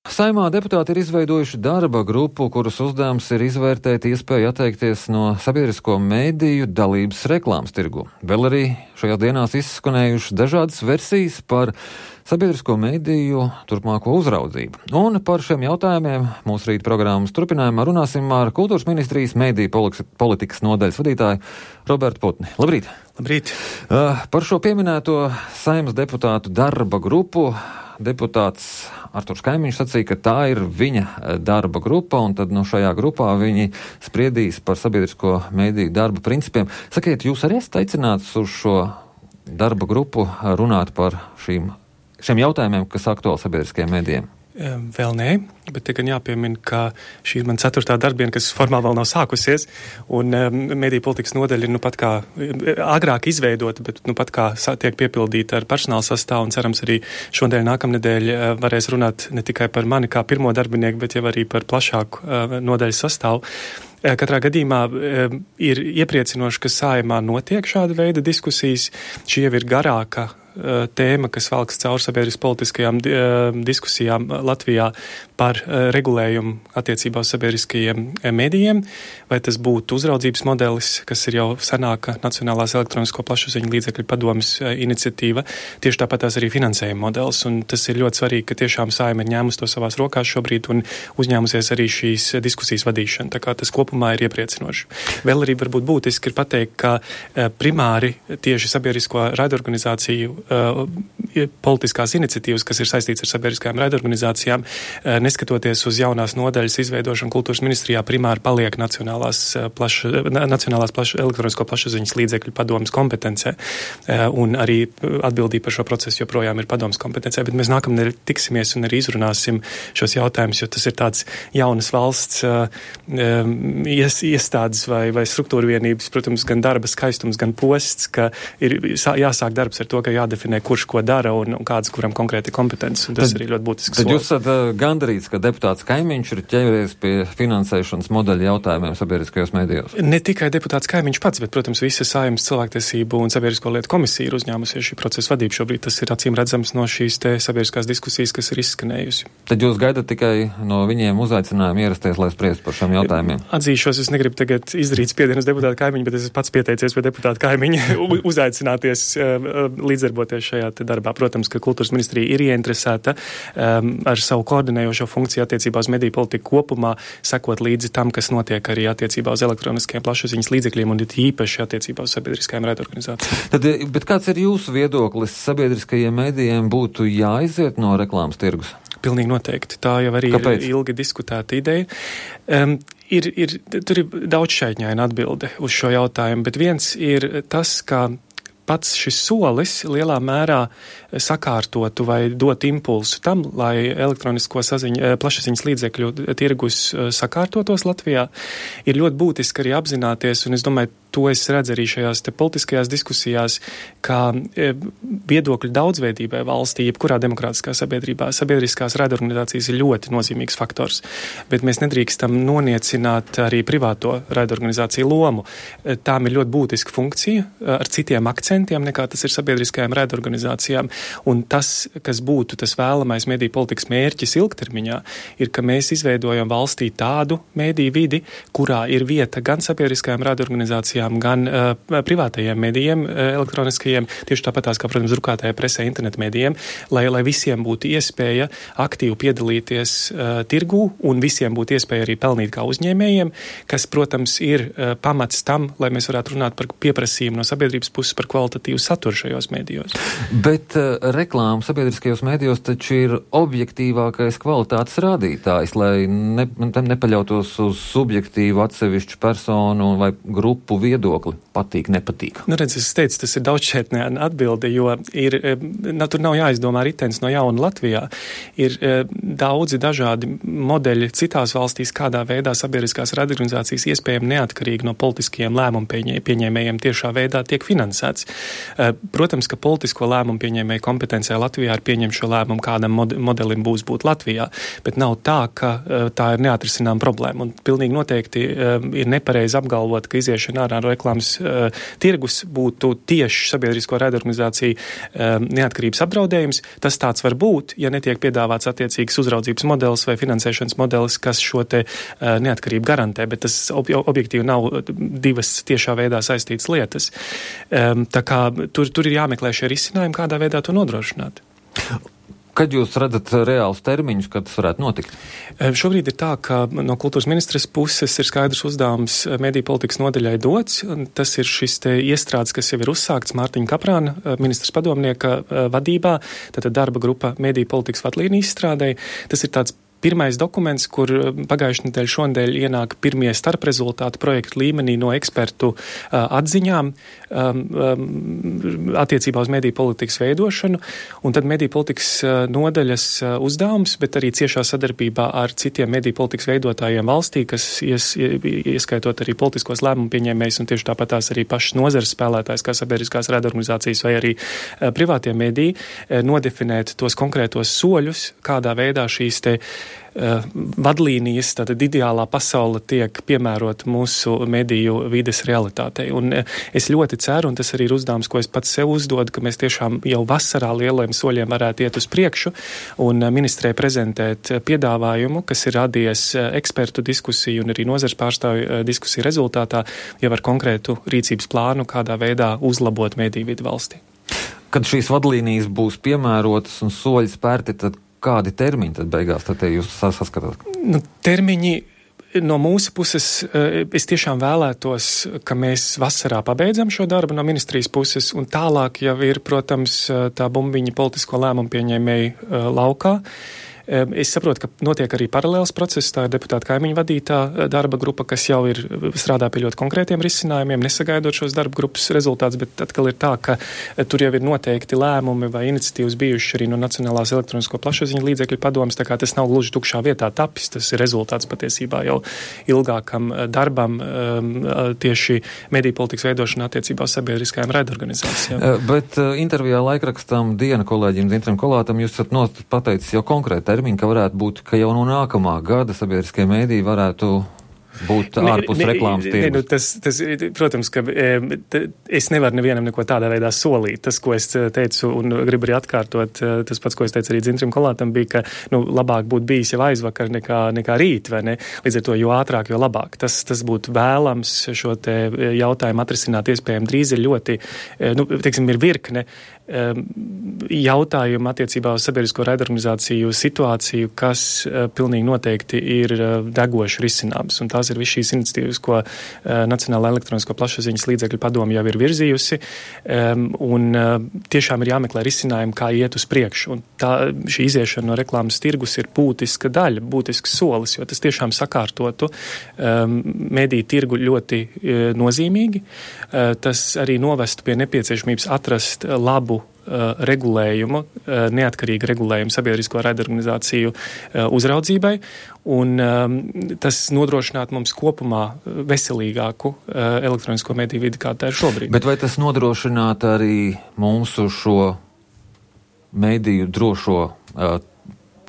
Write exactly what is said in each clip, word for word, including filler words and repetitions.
Saimā deputāti ir izveidojuši darba grupu, kuras uzdevums ir izvērtēt iespēju atteikties no sabiedrisko mediju dalības reklāmas tirgu. Vēl arī šajās dienās izskanējušas dažādas versijas par sabiedrisko mediju turpmāko uzraudzību. Un par šiem jautājumiem mūsu rīta programmas turpinājumā runāsim ar Kultūras ministrijas mediju politikas nodaļas vadītāju Robertu Putni. Labrīt! Labrīt! Uh, par šo pieminēto Saeimas deputātu darba grupu deputāts Arturs Kaimiņš sacīja, ka tā ir viņa darba grupa, un tad no šajā grupā viņi spriedīs par sabiedrisko mediju darba principiem. Sakiet, jūs arī esat aicināts uz šo darba grupu runāt par šīm, šiem jautājumiem, kas aktuāli sabiedriskajiem medijiem? Vēl nē, bet te gan jāpiemina, ka šī ir man ceturtā darbiena, kas formāli vēl nav sākusies, un um, mediju politikas nodaļa ir nu pat kā agrāk izveidota, bet nu pat kā tiek piepildīta ar personāla sastāvu, un cerams arī šodien nākamnedēļ uh, varēs runāt ne tikai par mani kā pirmo darbinieku, bet jau arī par plašāku uh, nodaļas sastāvu. Katrā gadījumā e, ir iepriecinoši, ka Saeimā notiek šāda veida diskusijas. Šī jau ir garāka e, tēma, kas valks caur sabiedriskas politiskajām e, diskusijām Latvijā par e, regulējumu attiecībā uz sabiedriskajiem e, medijiem. Vai tas būtu uzraudzības modelis, kas ir jau senāka Nacionālās elektronisko plašsaziņu līdzekļu padomes e, iniciatīva, tieši tāpat tās arī finansējuma modelis. Un tas ir ļoti svarīgi, ka tiešām Saeima ir ņēmusi to savās rokās šobrīd un uzņēmusies arī šīs diskusijas vadīšanu. Tā kā tas kopumā ir iepriecinoši. Vēl arī varbūt būtiski ir pateikt, ka uh, primāri tieši sabiedrisko raidorganizāciju uh, politiskās iniciatīvas, kas ir saistīts ar sabiedriskajām raidorganizācijām, uh, neskatoties uz jaunās nodaļas izveidošanu Kultūras ministrijā, primāri paliek Nacionālās, uh, plaša, nacionālās plaša, elektronisko plašsaziņas līdzekļu padomes kompetencē, uh, un arī atbildība par šo procesu joprojām ir padomes kompetencē, bet mēs nākamnedēļ tiksimies un arī izrunāsim šos jautājumus, jo tas ir tāds jaunas valsts uh, um, ies, iestādes vai, vai struktūra vienības, protams, gan darba skaistums, gan posts, ka ir jāsāk darbs ar to, ka jādefinē, kurš ko dara un, un kāds, kuram konkrēti kompetences, un tas tad, arī ļoti būtisks solis. Tad jūs esat uh, gandarīts, ka deputāts Kaimiņš ir ķēries pie finansēšanas modeļa jautājumiem sabiedriskajos medijos? Ne tikai deputāts Kaimiņš pats, bet, protams, visa Saeimas cilvēktiesību un sabiedrisko lietu komisija ir uzņēmusies šī procesa vadību šobrīd. Tas ir acīm redzams no šīs te sabiedriskās diskusijas, kas ir izskanējusi. Tad jūs gaidat tikai no viņiem uzaicinājumu ierasties, lai spriest par šiem jautājumiem? Atzīšos, es negribu tagad izdarīt spiedienu uz deputātu Kaimiņu, bet es pats pieteicies pie deputāta Kaimiņa uzaicināties līdzdarboties šajā te darbā. Protams, ka Kultūras ministrija ir ieinteresēta um, ar savu koordinējošo funkciju attiecībā uz mediju politiku kopumā, sekot līdzi tam, kas notiek arī attiecībā uz elektroniskajiem plašsaziņas līdzekļiem un īpaši attiecībā uz sabiedriskajām raidorganizācijām. Tad, bet kāds ir jūsu viedoklis? Sabiedriskajiem medijiem būtu jāiziet no reklāmas tirgus? Pilnīgi noteikti. Tā jau arī Kāpēc? Ir ilgi diskutēta ideja. Um, ir, ir, tur ir daudz šķaitņaina atbilde uz šo jautājumu, bet viens ir tas, ka pats šis solis lielā mērā sakārtotu vai dot impulsu tam, lai elektronisko saziņu, plašsaziņas līdzekļu tirgus sakārtotos Latvijā, ir ļoti būtiski arī apzināties, un es domāju, to es redzu arī šajās te politiskajās diskusijās, kā viedokļu daudzveidībai valstī, jebkurā demokrātiskā sabiedrībā, sabiedriskās raidorganizācijas ir ļoti nozīmīgs faktors, bet mēs nedrīkstam noniecināt arī privāto raidorganizāciju lomu. Tām ir ļoti būtiska funkcija ar citiem akcentiem, nekā tas ir sabiedriskajām raidorganizācijām, un tas, kas būtu tas vēlamais mediju politikas mērķis ilgtermiņā, ir, ka mēs izveidojam valstī tādu mediju vidi, kurā ir vieta gan sabiedriskajām raidorganizācijām, gan uh, privātajiem medijiem, uh, elektroniskajiem, tieši tāpat tās, kā, protams, drukātajā presē, internetu medijiem, lai, lai visiem būtu iespēja aktīvi piedalīties uh, tirgū un visiem būtu iespēja arī pelnīt kā uzņēmējiem, kas, protams, ir uh, pamats tam, lai mēs varētu runāt par pieprasījumu no sabiedrības puses par kvalitatīvu saturu šajos medijos. Bet uh, reklāma sabiedriskajos medijos taču ir objektīvākais kvalitātes rādītājs, lai ne, nepaļautos uz subjektīvu atsevišķu personu vai grupu viedokli, patīk, nepatīk. Nu, redz, es teicu, tas ir daudzšķaitņaina atbilde, jo ir, na, tur nav jāizdomā ritens no jauna Latvijā. Ir e, daudzi dažādi modeļi citās valstīs, kādā veidā sabiedriskās raidorganizācijas iespējami neatkarīgi no politiskajiem lēmumu pieņēmējiem tiešā veidā tiek finansēts. E, protams, ka politisko lēmumu pieņēmēju kompetencē Latvijā ir pieņemt šo lēmumu, kādam mod- modelim būs būt Latvijā, bet nav tā, ka e, tā ir neatrisinām problēma. Un pilnīgi noteikti e, ir nepareizi apgalvot, ka iziešana ārā lineāro reklāmas uh, tirgus būtu tieši sabiedrisko raidorganizāciju uh, neatkarības apdraudējums. Tas tāds var būt, ja netiek piedāvāts attiecīgs uzraudzības modelis vai finansēšanas modelis, kas šo te uh, neatkarību garantē, bet tas ob- objektīvi nav divas tiešā veidā saistītas lietas. Um, tā kā tur, tur ir jāmeklē šie risinājumi, kādā veidā to nodrošināt. Kad jūs redzat reālus termiņus, kad tas varētu notikt? Šobrīd ir tā, ka no kultūras ministres puses ir skaidrs uzdevums mediju politikas nodaļai dots. Tas ir šis te iestrādes, kas jau ir uzsākts Mārtiņa Kaprāna, ministras padomnieka vadībā, tātad darba grupa mediju politikas vadlīniju izstrādē. Tas ir tāds pirmais dokuments, kur pagājušajā nedēļā šonadēļ ienāk pirmie starprezultāti projektu līmenī no ekspertu uh, atziņām um, um, attiecībā uz mediju politikas veidošanu, un tad mediju politikas uh, nodaļas uh, uzdevums, bet arī ciešā sadarbībā ar citiem mediju politikas veidotājiem valstī, kas ies, ieskaitot arī politiskos lēmumu pieņēmējus un tieši tāpat tās arī pašas nozares spēlētājs, kā sabiedriskās raidorganizācijas vai arī uh, privātie mediji, uh, nodefinēt tos konkrētos soļus, kādā veidā šīs te Uh, vadlīnijas, tātad ideālā pasaule tiek piemērota mūsu mediju vides realitātei. Un uh, es ļoti ceru, un tas arī ir uzdevums, ko es pats sev uzdodu, ka mēs tiešām jau vasarā lieliem soļiem varētu iet uz priekšu un uh, ministrē prezentēt uh, piedāvājumu, kas ir radies uh, ekspertu diskusiju un arī nozares pārstāvju uh, diskusiju rezultātā, jau ar konkrētu rīcības plānu, kādā veidā uzlabot mediju vidi valstī. Kad šīs vadlīnijas būs piemērotas un soļi spērti, tad kādi termiņi tad beigās tad jūs saskatāt? Nu, termiņi no mūsu puses, es tiešām vēlētos, ka mēs vasarā pabeidzam šo darbu no ministrijas puses, un tālāk jau ir, protams, tā bumbiņa politisko lēmumu pieņēmēju laukā. Es saprotu, ka notiek arī paralēls process, tā ir deputāta kaimiņu vadītā darba grupa, kas jau ir strādā pie ļoti konkrētiem risinājumiem, nesagaidot šos darba grupas rezultātus, bet atkal ir tā, ka tur jau ir noteikti lēmumi vai iniciatīvas bijuši arī no Nacionālās elektronisko plašsaziņu līdzekļu padomes, tā kā tas nav gluži tukšā vietā tapis, tas ir rezultāts patiesībā jau ilgākam darbam tieši mediju politikas veidošanā attiecībā uz sabiedriskajām raidorganizācijām. Bet intervijā laikrakstam Diena kolēģim Zintram Kolātam jūs esat pateicis jau konkrēti termiņi, ka varētu būt, ka jau no nākamā gada sabiedriskie mēdīji varētu būt ārpus ne, ne, reklāmas tirgus. Ne, nu, tas, tas, protams, ka e, t, es nevaru nevienam neko tādā veidā solīt. Tas, ko es teicu un gribu arī atkārtot, tas pats, ko es teicu arī Dzintrim Kolātam, bija, ka nu, labāk būtu bijis jau aizvakar nekā, nekā rīt, vai ne? Līdz ar to, jo ātrāk, jo labāk. Tas, tas būtu vēlams šo te jautājumu atrisināt iespējami drīz ir ļoti, nu, teiksim, ir virkne jautājumu attiecībā uz sabiedrisko raidorganizāciju situāciju, kas uh, pilnīgi noteikti ir uh, degoši risināms. Un tās ir viss šīs iniciatīvas, ko uh, Nacionālā elektronisko plašsaziņas līdzekļu padome jau ir virzījusi. Um, un uh, tiešām ir jāmeklē risinājumi, kā iet uz priekšu. Un tā, šī iziešana no reklāmas tirgus ir būtiska daļa, būtisks solis, jo tas tiešām sakārtotu um, mediju tirgu ļoti uh, nozīmīgi. Uh, tas arī novestu pie nepieciešamības atrast uh, labu regulējumu, neatkarīgu regulējumu sabiedrisko raidorganizāciju uzraudzībai, un tas nodrošinātu mums kopumā veselīgāku elektronisko mediju vidi, kā tā ir šobrīd. Bet vai tas nodrošinātu arī mūsu šo mediju drošo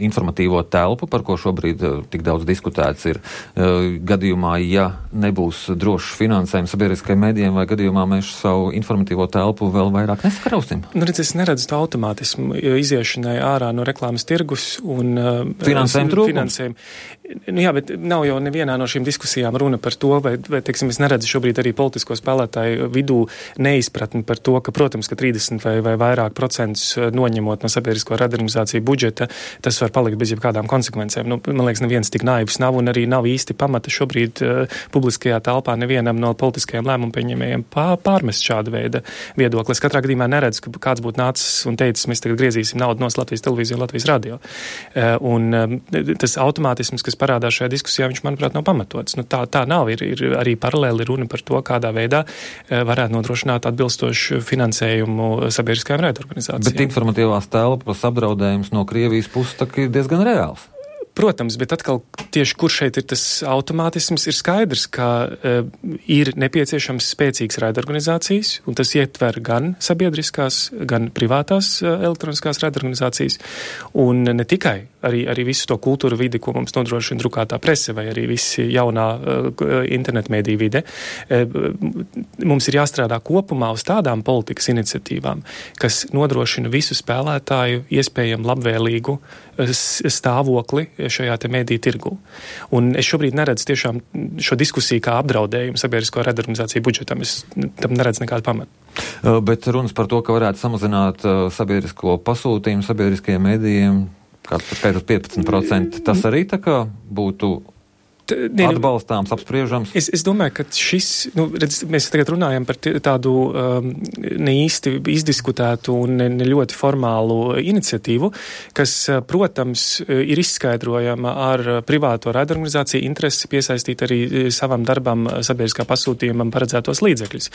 informatīvo telpu, par ko šobrīd uh, tik daudz diskutēts ir uh, gadījumā, ja nebūs drošs finansējums sabiedriskajiem medijiem, vai gadījumā mēs savu informatīvo telpu vēl vairāk neskarausim? Nu, redz, es neredzu to automātismu iziešanai ārā no reklāmas tirgus un uh, finansējumu trūkums. Nu, jā, bet nav jau nevienā no šīm diskusijām runa par to, vai, vai teiksim, es neredzu šobrīd arī politisko spēlētāju vidū neizpratni par to, ka, protams, ka trīsdesmit vai, vai vairāk procentus noņemot no sabiedrisko raidorganizāciju budžeta, tas var palikt bez jebkādām konsekvencēm. Nu, man liekas, neviens tik naivs nav un arī nav īsti pamata šobrīd uh, publiskajā telpā nevienam no politiskajiem lēmumu pieņēmējiem pārmest šādu veidu viedokli. Es katrā gadījumā neredzu, ka kāds būtu nācis un teicis, mēs tagad griezīsim naudu no Latvijas televīziju un Latvijas radio. Uh, un uh, tas automātisms, kas parādās šajā diskusijā, viņš, manuprāt, nav pamatots. Nu, tā, tā nav. Ir, ir arī paralēli runa par to, kādā veidā uh, varētu nodrošināt atbilstošu finansējumu sabiedriskajām raidorganizācijām. Bet informatīvās telpas apdraudējums no Krievijas puses tak ir diezgan reāls. Protams, bet atkal tieši kur šeit ir tas automātisms, ir skaidrs, ka uh, ir nepieciešams spēcīgas raidorganizācijas, un tas ietver gan sabiedriskās, gan privātās uh, elektroniskās raidorganizācijas, un ne tikai arī, arī visu to kultūru vidi, ko mums nodrošina drukātā prese vai arī visi jaunā uh, internetmediju vide. Uh, mums ir jāstrādā kopumā uz tādām politikas iniciatīvām, kas nodrošina visu spēlētāju iespējami labvēlīgu uh, stāvokli šajā te mediju tirgu. Un es šobrīd neredzu tiešām šo diskusiju kā apdraudējumu sabiedrisko raidorganizāciju budžetam. Es tam neredzu nekādu pamatu. Bet runas par to, ka varētu samazināt uh, sabiedrisko pasūtījumu sabiedriskajiem medijiem, kāds par skaitot piecpadsmit procenti, tas arī tā kā būtu Ne, atbalstāms, apspriežams? Es, es domāju, ka šis, nu, redz, mēs tagad runājam par t- tādu um, neīsti izdiskutētu un ne, ne ļoti formālu iniciatīvu, kas, protams, ir izskaidrojama ar privāto raidorganizāciju interesi piesaistīt arī savam darbam sabiedriskā pasūtījumam paredzētos līdzekļus.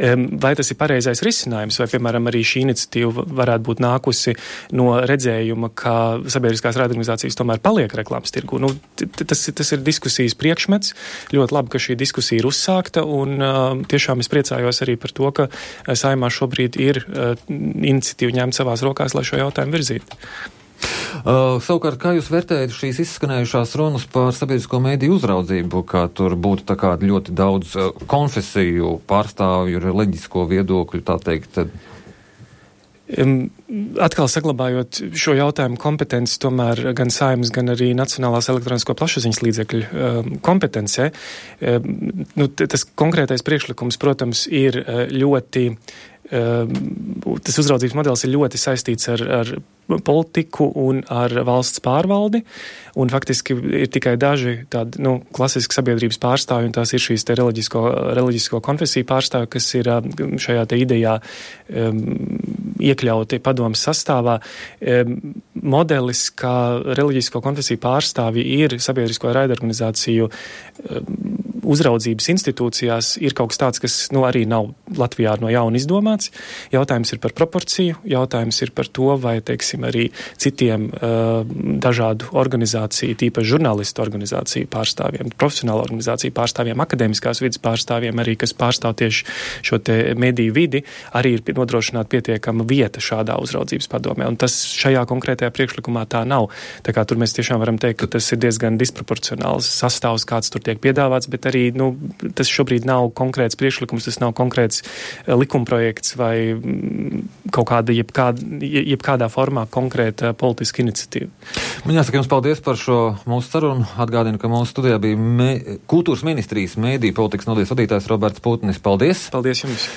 Um, vai tas ir pareizais risinājums, vai, piemēram, arī šī iniciatīva varētu būt nākusi no redzējuma, ka sabiedriskās raidorganizācijas tomēr paliek reklāmas tirgu? Nu, t- tas, tas ir diskusija diskusijas priekšmets. Ļoti labi, ka šī diskusija ir uzsākta, un uh, tiešām es priecājos arī par to, ka Saeimā šobrīd ir uh, iniciatīva ņemt savās rokās, lai šo jautājumu virzītu. Uh, savukārt, kā jūs vērtējat šīs izskanējušās runas par sabiedrisko mediju uzraudzību, kā tur būtu tā kā ļoti daudz uh, konfesiju pārstāvju, reliģisko viedokļu, tā teikt, tad... Um, atkal saglabājot šo jautājumu kompetenci, tomēr gan Saeimas, gan arī Nacionālās elektronisko plašsaziņas līdzekļu um, kompetencē, um, nu, t- tas konkrētais priekšlikums, protams, ir uh, ļoti, um, tas uzraudzības modelis ir ļoti saistīts ar, ar politiku un ar valsts pārvaldi, un faktiski ir tikai daži tādi, nu, klasiski sabiedrības pārstāvji, un tās ir šīs te reliģisko, reliģisko konfesiju pārstāvji, kas ir šajā te idejā um, iekļauti padomas sastāvā. Um, modelis, kā reliģisko konfesiju pārstāvji ir sabiedrisko raidorganizāciju um, uzraudzības institūcijās, ir kaut kas tāds, kas, nu, arī nav Latvijā no jauna izdomāts. Jautājums ir par proporciju, jautājums ir par to, vai, teiksim, arī citiem uh, dažādu organizāciju, tīpaši žurnālistu organizāciju pārstāvjiem, profesionālu organizāciju pārstāvjiem, akadēmiskās vidas pārstāvjiem, arī, kas pārstāv tieši šo te mediju vidi, arī ir nodrošināta pietiekama vieta šādā uzraudzības padomē. Un tas šajā konkrētajā priekšlikumā tā nav. Tā kā tur mēs tiešām varam teikt, ka tas ir diezgan disproporcionāls sastāvs, kāds tur tiek piedāvāts, bet arī, nu, tas šobrīd nav konkrēts priekšlikums, tas nav konkrēts likumprojekts vai kaut kāda, jebkāda, jebkādā formā konkrēta politiska iniciatīva. Man jāsaka jums paldies par šo mūsu sarunu. Atgādinu, ka mūsu studijā bija me, kultūras ministrijas mēdīju politikas nodaļas vadītājs Roberts Putnis. Paldies! Paldies jums!